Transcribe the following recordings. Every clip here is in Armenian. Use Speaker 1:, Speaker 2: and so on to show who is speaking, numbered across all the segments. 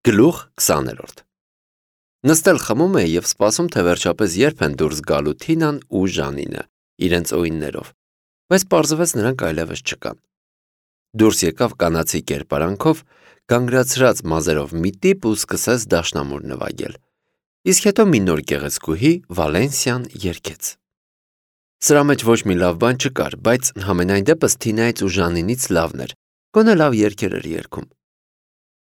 Speaker 1: Գլուխ 20-րդ Նստել խմում է և սպասում, թե վերջապես երբ են դուրս գալու Թինան ու Ժանինը, իրենց օիններով, բայց պարզվեց նրանք այլևս չկան։ Դուրս եկավ կանացի կերպարանքով, գանգրացրած մազերով մի տիպ ու սկսեց դաշնամուր նվագել, իսկ հետո մի նոր գեղեցկուհի Վալենսիան երգեց։ Սրա մեջ ոչ մի լավ բան չկար, բայց համենայն դեպս Թինայից ու Ժանինից լավն էր, գոնե լավ երգեր էր երգում։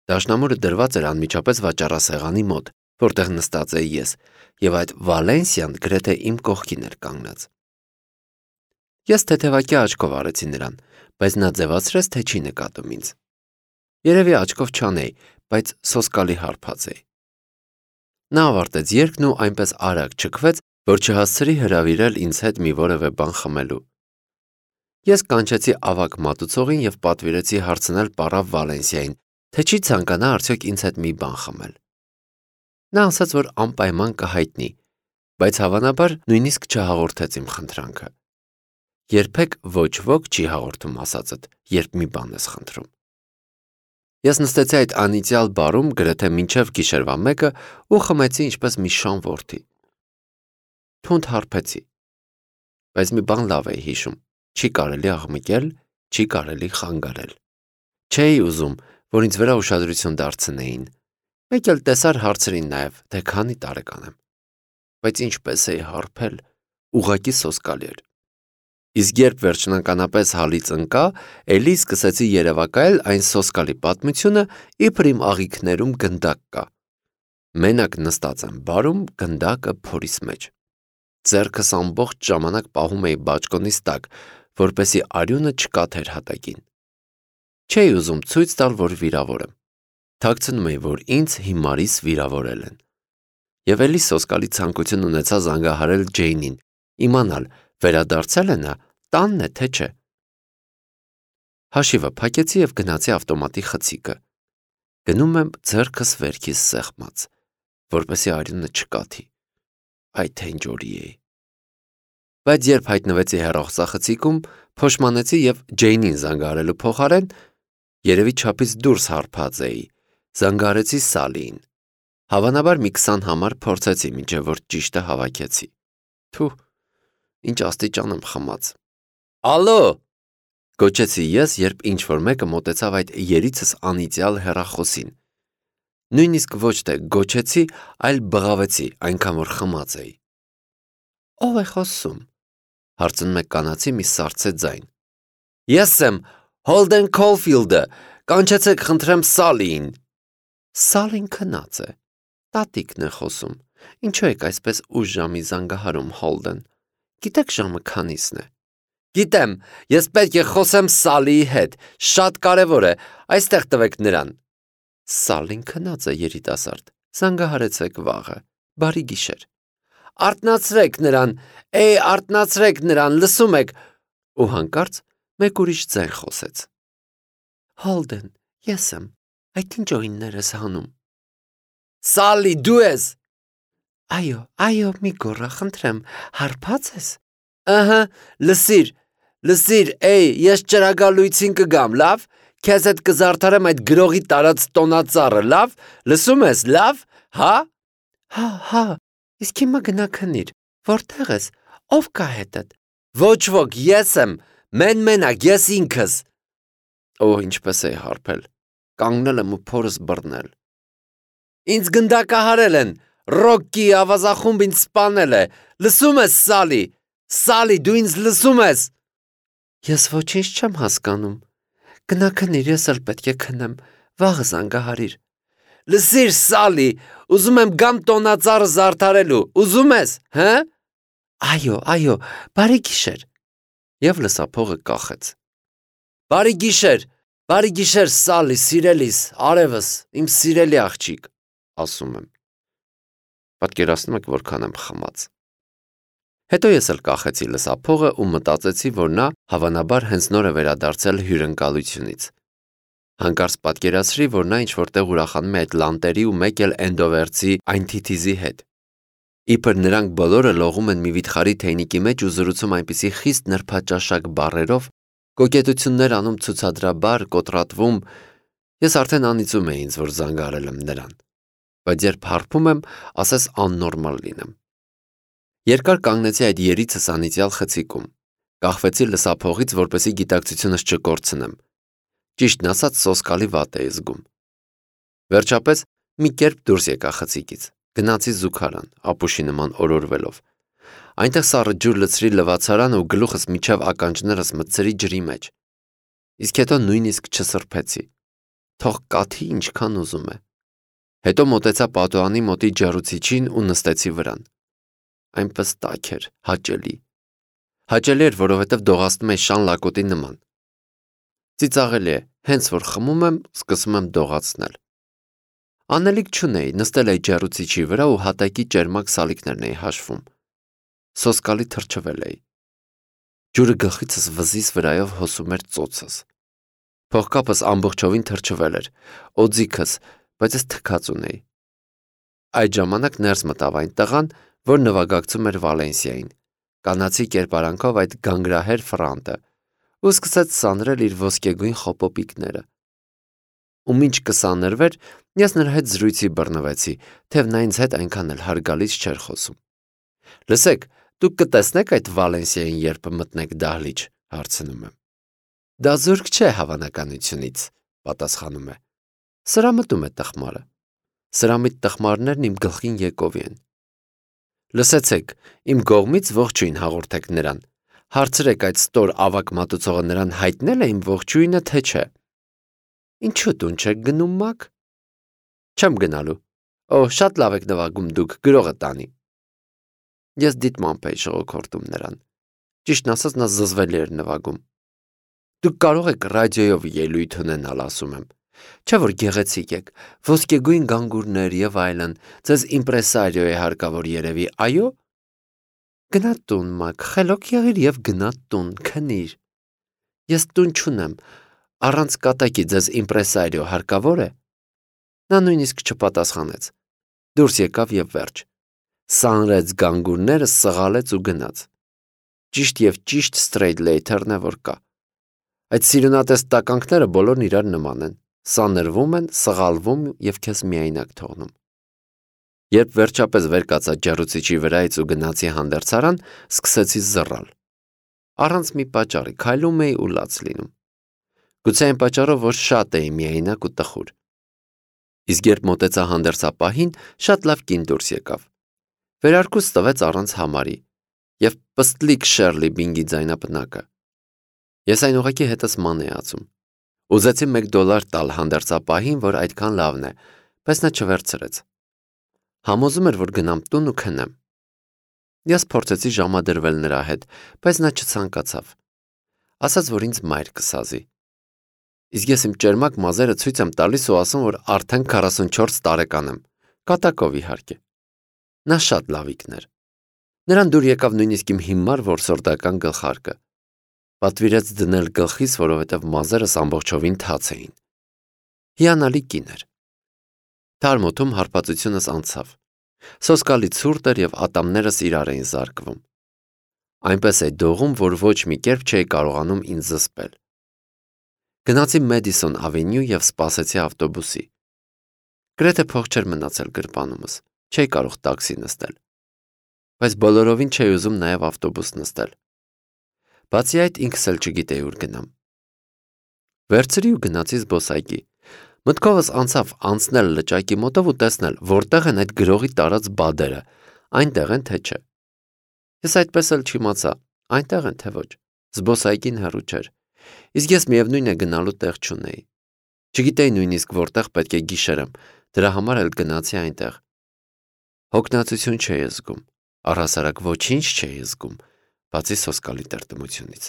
Speaker 1: Դաշնամուրը դրված էր անմիջապես վաճառասեղանի մոտ, որտեղ նստած էի ես, և այդ Վալենսիան գրեթե իմ կողքին էր կանգնած։ Ես թեթևակյա աչքով արեցի նրան, բայց նա ձևացրեց, թե չի նկատում ինձ։ Երևի աչքով չանեի, բայց սոսկալի հարբած էի։ Նա ավարտեց երգն ու այնպես արագ չքվեց, որ չհասցրի հրավիրել ինձ հետ մի որևէ բան խմելու։ Ես կանչեցի ավագ մատուցողին և պատվիրեցի հարցնել պարավ Վալենսիային, թե չի ցանկանա արդյոք ինձ հետ մի բան խմել։ Նա ասաց, որ անպայման կհայտնի, բայց հավանաբար նույնիսկ չհաղորդեց իմ խնդրանքը։ Երբեք ոչ ոք չի հաղորդում ասածդ, երբ մի բան ես խնդրում։ Ես նստեցի այդ անիծյալ բարում գրեթե մինչև գիշերվա 1-ը ու խմեցի ինչպես մի շան որդի։ Թունդ հարբեցի, բայց մի բան լավ էի հիշում, չի կարելի աղմկել, չի կարելի խանգարել։ Չէի ուզում, որ ինձ վրա ուշադրություն դարձնեին, մեկ էլ տեսար հարցրին նաև, թե քանի տարեկան եմ, բայց ինչպես էի հարբել, ուղղակի սոսկալի էր։ Իսկ երբ վերջնականապես հալից ընկա, էլի սկսեցի երևակայել այն սոսկալի պատմությունը, իբր իմ աղիքներում գնդակ կա։ Մենակ նստած եմ բարում, գնդակը փորիս մեջ։ Ձեռքս ամբողջ ժամանակ պահում էի բաճկոնիս տակ, որպեսզի արյունը չկաթեր հատակին։ Չէի ուզում ցույց տալ, որ վիրավոր եմ։ Թաքցնում էի, որ ինձ հիմարիս վիրավորել են։ Եվ էլի սոսկալի ցանկություն ունեցա զանգահարել Ջեյնին, իմանալ, վերադարձել է նա, տանն է, թե չէ։ Հաշիվը փակեցի և գնացի ավտոմատի խցիկը։ Գնում եմ ձեռքս վերքիս սեղմած, որպեսզի արյունը չկաթի։ Այ թե ինչ օրի էի։ Բայց երբ հայտնվեցի հեռախոսախցիկում, փոշմանեցի և Ջեյնին զանգահարելու փոխարեն երևի չափից դուրս հարբած էի, զանգահարեցի Սալիին։ Հավանաբար մի 20 համար փորձեցի, մինչև որ ճիշտը հավաքեցի։ Թու, ինչ աստիճան եմ խմած։ Ալո, գոչեցի ես, երբ ինչ-որ մեկը մոտեցավ այդ երիցս անիծյալ հեռախոսին։ Նույնիսկ ոչ թե գոչեցի, այլ բղավեցի, այնքան որ խմած էի։ Ո՞վ է խոսում, հարցնում է կանացի մի սառցե ձայն։ Ես եմ, Հոլդեն Քոլֆիլդը, կանչեցեք խնդրեմ Սալիին։ Սալին քնած է, տատիկն է խոսում, ինչու եք այսպես ուշ ժամի զանգահարում Հոլդեն, գիտեք ժամը քանիսն է։ Գիտեմ, ես պետք է խոսեմ Սալիի հետ, շատ կարևոր է, այստեղ տվեք նրան։ Սալին քնած է երիտասարդ, զանգահարեցեք վաղը, բարի գիշեր։ Արթնացրեք նրան, արթնացրեք նրան, լսում եք։ Ու հանկարծ մեկ ուրիշ ձայն խոսեց։ Հոլդեն, ես եմ, այդ ինչ օիններ ես հանում։ Սալի, դու ես։ Այո, մի գոռա, խնդրեմ, հարբած ես։ Ըհը, լսիր, ես ճրագալույցին կգամ, լավ, քեզ հետ կզարդարեմ այդ գրողի տարած տոնածառը, լավ, լսում ես, լավ, հա։ Հա, իսկ հիմա գնա քնիր, որտեղ ես, ով կա հետդ։ Ոչ ոք, ես եմ, մենակ, ես ինքս։ Ինչպես էի հարբել, կանգնել եմ ու փորս բռնել։ Ինձ գնդակահարել են, Ռոկկի ավազախումբ ինձ սպանել է, լսում ես, Սալի, դու ինձ լսում ես։ Ես ոչինչ չեմ հասկանում, գնա քնիր, ես էլ պետք է քնեմ, վաղը զանգահարիր։ Լսիր, Սալի, ուզում եմ գամ տոնածառը զարդարելու, ուզում ես, հը։ Այո, բարի գիշեր։ Եվ լսափողը կախեց։ Բարի գիշեր, Սալի, սիրելիս, արևս, իմ սիրելի աղջիկ, ասում եմ։ Պատկերացնում եք, որքան եմ խմած։ Հետո ես էլ կախեցի լսափողը ու մտածեցի, որ նա հավանաբար հենց նոր է վերադարձել հյուրընկալությունից։ Հանկարծ պատկերացրի, որ նա ինչ-որտեղ ուրախանում է այդ լանտերի ու մեկ էլ էնդովերցի այն թիթիզի հետ։ Իբր նրանք բոլորը լողում են մի վիթխարի թեյնիկի մեջ ու զրուցում այնպիսի խիստ նրբաճաշակ բառերով, կոկետություններ անում ցուցադրաբար, կոտրատվում, Ես արդեն անիծում էի ինձ, որ զանգարել եմ նրան, բայց երբ հարբում եմ, ասես աննորմալ լինեմ։ Երկար կանգնեցի այդ երիցս անիծյալ խցիկում, կախվեցի լսափողից, որպեսզի գիտակցությունս չկորցնեմ։ Ճիշտն ասած, սոսկալի վատ էի զգում։ Վերջապես մի կերպ դուրս եկա խցիկից, գնացի զուգարան, ապուշի նման օրորվելով։ Այնտեղ սառը ջուր լցրի լվացարանը ու գլուխս միջև ականջներս մտցրի ջրի մեջ։ Իսկ հետո նույնիսկ չսրբեցի։ Թող կաթի ինչքան ուզում է։ Հետո մոտեցա պատուհանի մոտի ջեռուցիչին ու նստեցի վրան։ Այնպես տաք էր, հաճելի։ Հաճելի էր, որովհետև դողացնում էի շան լակոտի նման։ Ծիծաղելի է, հենց որ խմում եմ, սկսում եմ դողացնել։ Անելիք չունեի, նստել էի ջեռուցիչի վրա ու հատակի ճերմակ սալիկներն էի հաշվում։ Սոսկալի թրջվել էի։ Ջուրը գլխիցս վզիս վրայով հոսում էր ծոցս։ Փողկապս ամբողջովին թրջվել էր, օձիքս, բայց ես թքած ունեի։ Այդ ժամանակ ներս մտավ այն տղան, որ նվագակցում էր Վալենսիային, կանացի կերպարանքով այդ գանգրահեր ֆրանտը, ու սկսեց սանրել իր ոսկեգույն խոպոպիկները։ Ու մինչ կսանրվեր, ես նրա հետ զրույցի բռնվեցի, թեև նա ինձ հետ այնքան էլ հարգալից չէր խոսում։ Լսեք, դուք կտեսնեք այդ Վալենսիային, երբ մտնեք դահլիճ, հարցնում եմ։ Դա զուրկ չէ հավանականությունից, պատասխանում է։ Սրամտում է տխմարը։ Սրամիտ տխմարներն իմ գլխին եկովի են։ Լսեցեք, իմ կողմից ողջույն հաղորդեք նրան։ Հարցրեք այդ ստոր ավակ մատուցողը նրան հայտնել է իմ ողջույնը, թե չէ։ Ինչու տուն չեք գնում, Մակ։ Չեմ գնալու։ Օ, շատ լավ եք նվագում դուք, գրողը տանի։ Ես դիտմամբ էի շողոքորտում նրան։ Ճիշտն ասած, նա զզվելի էր նվագում։ Դուք կարող եք ռադիոյով ելույթ ունենալ, ասում եմ։ Չէ՞ որ գեղեցիկ եք, ոսկեգույն գանգուրներ եւ այլն, ձեզ իմպրեսարիո է հարկավոր երևի, այո։ Գնա տուն, Մակ, խելոք եղիր եւ գնա տուն, քնիր։ Ես տուն չունեմ, առանց կատակի ձեզ իմպրեսարիո հարկավոր է։ Նա նույնիսկ չպատասխանեց։ Դուրս եկավ եւ վերջ։ Սանրեց գանգուրները, սղալեց ու գնաց։ Ճիշտ եւ ճիշտ straight later-ն է, որ կա։ Այդ սիրունատես տականքները բոլորն իրար նման են, սանրվում են, սղալվում եւ քեզ միայնակ թողնում։ Երբ վերջապես վեր կացա ջեռուցիչի վրայից ու գնացի հանդերձարան, սկսեցի զռալ։ Առանց մի պատճառի քայլում էի ու լաց լինում։ Գուցե այն պատճառով, որ շատ էի միայնակ ու տխուր։ Իսկ երբ մոտեցա հանդերձապահին, շատ լավ կին դուրս եկավ։ Վերարկուս տվեց առանց համարի եւ պստլիկ Շերլի Բինգի ձայնապնակը։ Ես այն ուղղակի հետս ման էի ածում։ Ուզեցի $1 տալ հանդերձապահին, որ այդքան լավն է, բայց նա չվերցրեց։ Համոզում էր, որ գնամ տուն ու քնեմ։ Ես փորձեցի ժամադրվել նրա հետ, բայց նա չցանկացավ։ Ասաց, որ ինձ մայր կսազի։ Իսկ ես իմ ճերմակ մազերը ցույց եմ տալիս ու ասում, որ արդեն 44 տարեկան եմ, կատակով իհարկե։ Նա շատ լավիկն էր։ Նրան դուր եկավ նույնիսկ իմ հիմար որսորդական գլխարկը։ Պատվիրեց դնել գլխիս, որովհետև մազերս ամբողջովին թաց էին։ Հիանալի կին էր։ Թարմոթում հարբածությունս անցավ։ Սոսկալի ցուրտ էր եւ ատամներս իրար էին զարկվում։ Այնպես է դողում, որ ոչ մի կերպ չէի կարողանում ինձ զսպել։ Գնացի Մեդիսոն ավենյու եւ սպասեցի ավտոբուսի։ Գրեթե փող չէր մնացել գրպանումս, չէի կարող տաքսի նստել։ Բայց բոլորովին չէի ուզում նաեւ ավտոբուս նստել։ Բացի այդ, ինքս էլ չգիտեի ուր գնամ։ Վերցրի ու գնացի զբոսայգի։ Մտքովս անցավ անցնել լճակի մոտով ու տեսնել, որտեղ են այդ գրողի տարած բադերը, այնտեղ են թե չէ։ Ես այդպես էլ չիմացա, այնտեղ են թե ոչ։ Զբոսայգին հեռու չէր։ Իսկ ես միևնույն է գնալու տեղ չունեի։ Չգիտեի նույնիսկ որտեղ պետք է գիշերեմ, դրա համար էլ գնացի այնտեղ։ Հոգնածություն չէի զգում, առհասարակ ոչինչ չէի զգում, բացի սոսկալի տրտմությունից։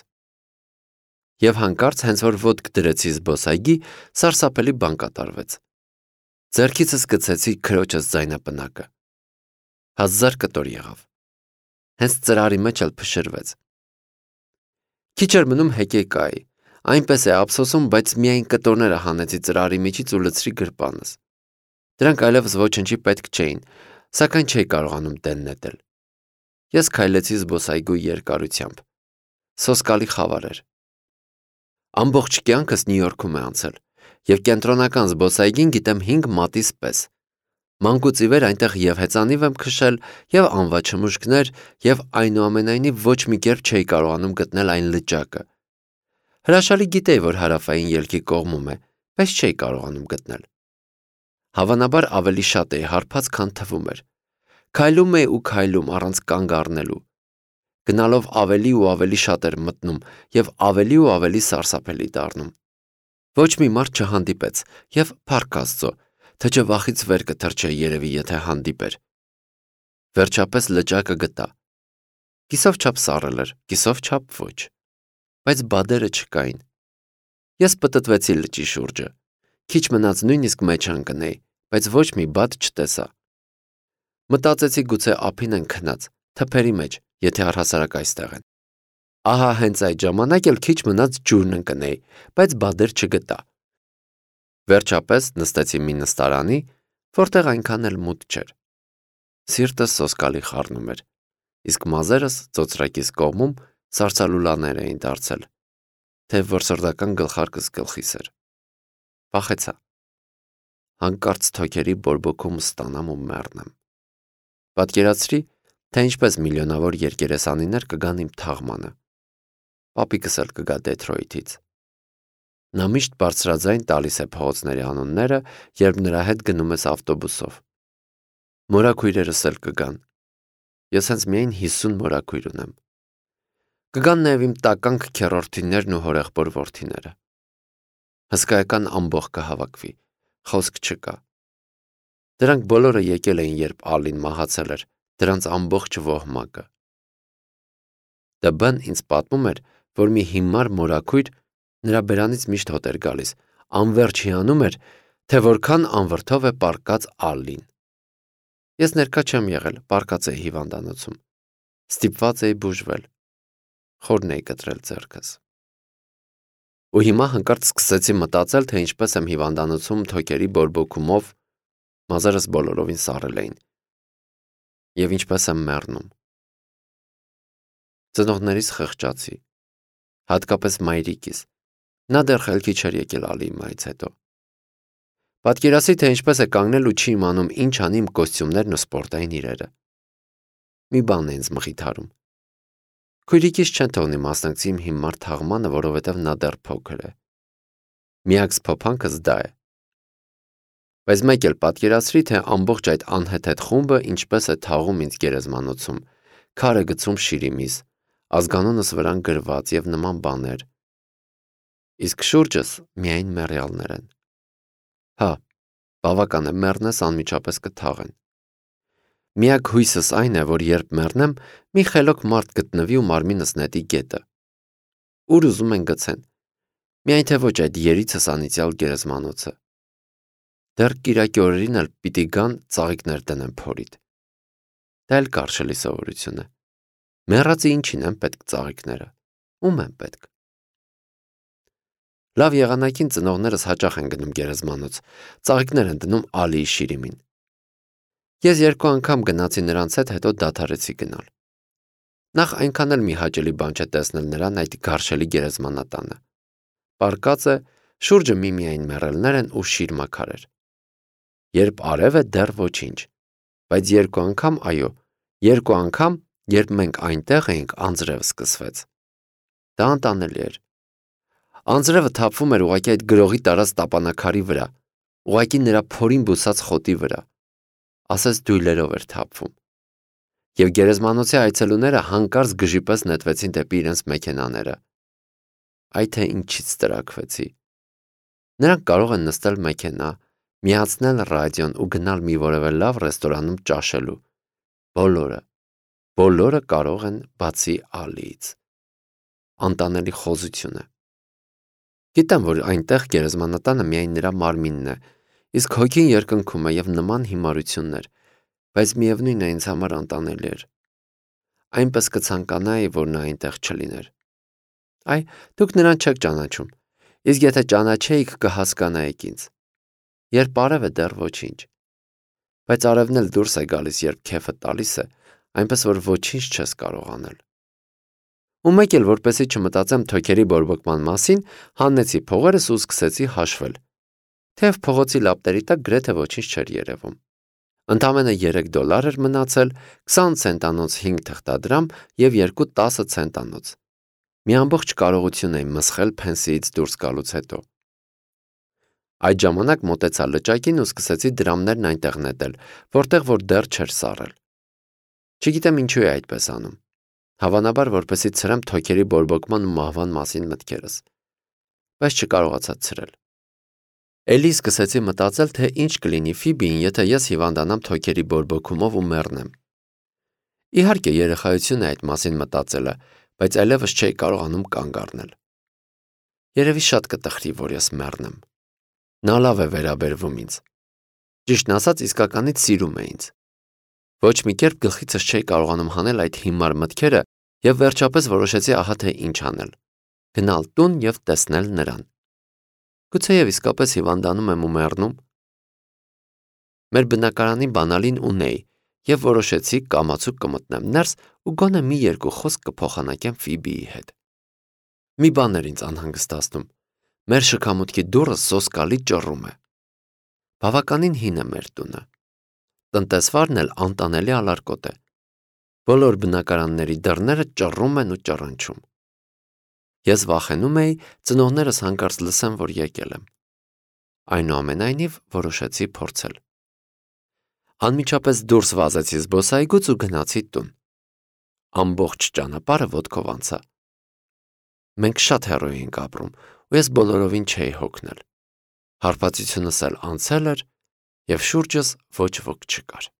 Speaker 1: Եվ հանկարծ հենց որ ոտք դրեցի զբոսայգի, սարսափելի բան կատարվեց։ Ձեռքիցս գցեցի քրոջս ձայնապնակը։ 1000 կտոր եղավ։ Հենց ծրարի մեջ էլ փշրվեց։ Քիչ էր մնում հեկեկայի, այնպես է ափսոսում, բայց միայն կտորները հանեցի ծրարի միջից ու լցրի գրպանս։ Դրանք այլևս ոչնչի պետք չէին, սակայն չէի կարողանում դեն նետել։ Ես քայլեցի զբոսայգու երկարությամբ։ Սոսկալի խավար էր։ Ամբողջ կյանքս Նյու Յորքում է անցել, Եվ կենտրոնական զբոսայգին գիտեմ 5 մատից պես։ Մանկուց ի վեր այնտեղ եւ հեծանիվ եմ քշել, եւ անվաչմուշկներ, եւ այնուամենայնիվ ոչ մի կերպ չէի կարողանում գտնել այն լճակը։ Հրաշալի գիտեի, որ հարավային ելքի կողմում է, բայց չէի կարողանում գտնել։ Հավանաբար ավելի շատ էի հարբած, քան թվում էր։ Քայլում էի ու քայլում առանց կանգ առնելու։ Գնալով ավելի ու ավելի շատ էր մտնում եւ ավելի ու ավելի սարսափելի դառնում։ Ոչ մի մարդ չհանդիպեց եւ փառք Աստծո, թե չէ վախից վեր կթռչեի երևի, եթե հանդիպեր։ Վերջապես լճակը գտա։ Կիսով չափ սառել էր, կիսով չափ ոչ, բայց բադերը չկային։ Ես պտտվեցի լճի շուրջը։ Քիչ մնաց նույնիսկ մեջ ընկնեի, բայց ոչ մի բադ չտեսա։ Մտածեցի գուցե ափին են քնած, թփերի մեջ, եթե առհասարակ այստեղ են։ Ահա հենց այդ ժամանակ էլ քիչ մնաց ջուրն ընկնեի, բայց բադեր չգտա։ Վերջապես նստեցի մի նստարանի, որտեղ այնքան էլ մութ չէր։ Սիրտս սոսկալի խառնում էր, իսկ մազերս ծոծրակիս կողմում սարսալուլաներ էին դարձել, թե որսորդական գլխարկս գլխիս էր։ Վախեցա։ Հանկարծ թոքերի բորբոքում ստանամ ու մեռնեմ։ Պատկերացրի, թե ինչպես միլիոնավոր երկերեսանիներ կգան իմ թաղմանը։ Պապիկս էլ կգա Դեթրոյթից։ Նա միշտ բարձրաձայն տալիս է փողոցների անունները, երբ նրա հետ գնում ես ավտոբուսով։ Մորաքույրերս էլ կգան։ Ես հենց միայն 50 մորաքույր ունեմ։ Կգան նաև իմ տականք քեռորդիներն ու հորեղբոր որդիները։ Հսկայական ամբոխ կհավաքվի, խոսք չկա։ Դրանք բոլորը եկել էին, երբ Ալին մահացել էր, դրանց ամբողջ ոհմակը։ Դբն ինձ պատմում էր, որ մի հիմար մորաքույր նրա բերանից միշտ հոտ էր գալիս, անverջ հիանում էր, թե որքան անվրդով է պառկած Ալին։ Ես ներկա չեմ եղել, պառկած էի հիվանդանոցում։ Ստիպված էի բուժվել։ Խորն էի կտրել ձեռքս։ Ու հիմա հանկարծ սկսեցի մտածել, թե ինչպես եմ հիվանդանոցում թոքերի բորբոքումով, մազերս բոլորովին սառել էին։ Եվ ինչպես եմ մեռնում։ Ծնողներիս խղճացի, հատկապես մայրիկիս։ Նա դեռ խելքի չէր եկել Ալիի մահից հետո։ Պատկերացրի, թե ինչպես է կանգնել ու չի իմանում ինչ անի իմ կոստյումներն ու սպորտային իրերը։ Մի բան է ինձ մխիթարում։ Քույրիկիս չեն թողնի մասնակցի իմ հիմար թաղմանը, որովհետև նա դեռ փոքր է։ Միակ սփոփանքս դա է։ Բայց մեկ էլ պատկերացրի, թե ամբողջ այդ անհեթեթ խումբը ինչպես է թաղում ինձ գերեզմանոցում, քարը գցում շիրիմիս, ազգանունս վրան գրված եւ նման բաներ։ Իսկ շուրջս միայն մեռյալներ են։ Հա, բավական է, մեռնես անմիջապես կթաղեն։ Միակ հույսս այն է, որ երբ մեռնեմ, մի խելոք մարդ գտնվի ու մարմինս նետի գետը։ Ուր ուզում են գցեն։ Միայն թե ոչ այդ երիցս անիծյալ գերեզմանոցը։ Դեռ կիրակի օրերին էլ պիտի գան ծաղիկներ դնեն փորիդ։ Դա էլ կարճելի սովորություն է։ Մեռածի ինչին են պետք ծաղիկները։ Ում են պետք։ Լավ եղանակին ծնողներս հաճախ են գնում գերեզմանոց, ծաղիկներ են դնում Ալիի շիրիմին։ Ես 2 անգամ գնացի նրանց հետ, հետո դադարեցի գնալ։ Նախ այնքան էլ մի հաճելի բան չէ տեսնել նրան այդ գարշելի գերեզմանատանը։ Պարկած է, շուրջը միմիայն մեռելներ են ու շիր մաքարեր։ Երբ արև է, դեռ ոչինչ, բայց 2 անգամ, այո, 2 անգամ, երբ մենք այնտեղ էինք, անձրև սկսվեց։ Դա անտանելի էր։ Անձրևը թափվում էր ուղղակի այդ գրողի տարած տապանակարի վրա, ուղղակի նրա փորին բուսած խոտի վրա, ասես դույլերով էր թափվում։ Եվ գերեզմանոցի այցելուները հանկարծ գժի պես նետվեցին դեպի իրենց մեքենաները։ Այ թե ինչից տրաքվեցի։ Նրանք կարող են նստել մեքենա, միացնել ռադիոն ու գնալ մի որևէ լավ ռեստորանում ճաշելու։ Բոլորը կարող են բացի Ալիից։ Անտանելի խոզություն է։ Գիտեմ, որ այնտեղ գերեզմանատանը միայն նրա մարմինն է, իսկ հոգին երկնքում է եւ նման հիմարություններ, բայց միևնույն է ինձ համար անտանելի էր։ Այնպես կցանկանայի, որ նա այնտեղ չլիներ։ Այ, դուք նրան չեք ճանաչում, իսկ եթե ճանաչեիք, կհասկանայիք ինձ։ Երբ արև է, դեռ ոչինչ։ Բայց արևն էլ դուրս է գալիս, երբ քեֆը տալիս է, այնպես որ ոչինչ չես կարող անել։ Ու մեկ էլ որպեսի չմտածեմ թոքերի բորբոքման մասին, հանեցի փողերս ու սկսեցի հաշվել։ թեև փողոցի լապտերի տակ գրեթե ոչինչ չէր երևում։ Ընդամենը $3 էր մնացել, 20 ցենտանոց 5 թղթադրամ և 2 10 ցենտանոց։ Մի ամբողջ կարողություն էի մսխել փենսիից դուրս գալուց հետո։ Այդ ժամանակ մոտեցա լճակին ու սկսեցի դրամներն այնտեղ նետել, որտեղ որ դեռ չէր սառել։ Չգիտեմ ինչու է այդպես անում։ Հավանաբար, որպեսզի ցրեմ թոքերի բորբոքման ու մահվան մասին մտքերս, բայց չկարողացա ցրել։ Էլի սկսեցի մտածել, թե ինչ կլինի Ֆիբիին, եթե ես հիվանդանամ թոքերի բորբոքումով ու մեռնեմ։ Իհարկե, երեխայություն է այդ մասին մտածելը, բայց այլևս չէի կարողանում կանգ առնել։ Երևի շատ կտխրի, որ ես մեռնեմ։ Նա լավ է վերաբերվում ինձ։ Ճիշտն ասած, իսկականից սիրում է ինձ։ Ոչ մի կերպ գլխիցս չէի կարողանում հանել այդ հիմար մտքերը և վերջապես որոշեցի ահա թե ինչ անել։ Գնալ տուն և տեսնել նրան։ Գուցեև իսկապես հիվանդանում եմ ու մեռնում։ Մեր բնակարանի բանալին ունեի և որոշեցի կամացուկ կմտնեմ ներս ու գոնե մի երկու խոսք կփոխանակեմ Ֆիբիի հետ։ Մի բան էր ինձ անհանգստացնում։ Մեր շքամուտքի դուռը սոսկալի ճռռում է։ Բավականին հին է մեր տունը։ Տնտեսվարն էլ անտանելի ալարկոտ է։ Բոլոր բնակարանների դռները ճռռում են ու ճռնչում։ Ես վախենում էի ծնողներս հանկարծ լսեն, որ եկել եմ։ Այնուամենայնիվ որոշեցի փորձել։ Անմիջապես դուրս վազեցի զբոսայգուց ու գնացի տուն։ Ամբողջ ճանապարհը ոտքով անցա։ Մենք շատ հեռու էինք ապրում, ու ես բոլորովին չէի հոգնել։ Հարբածությունս էլ անցել էր, և շուրջս ոչ ոք չկար։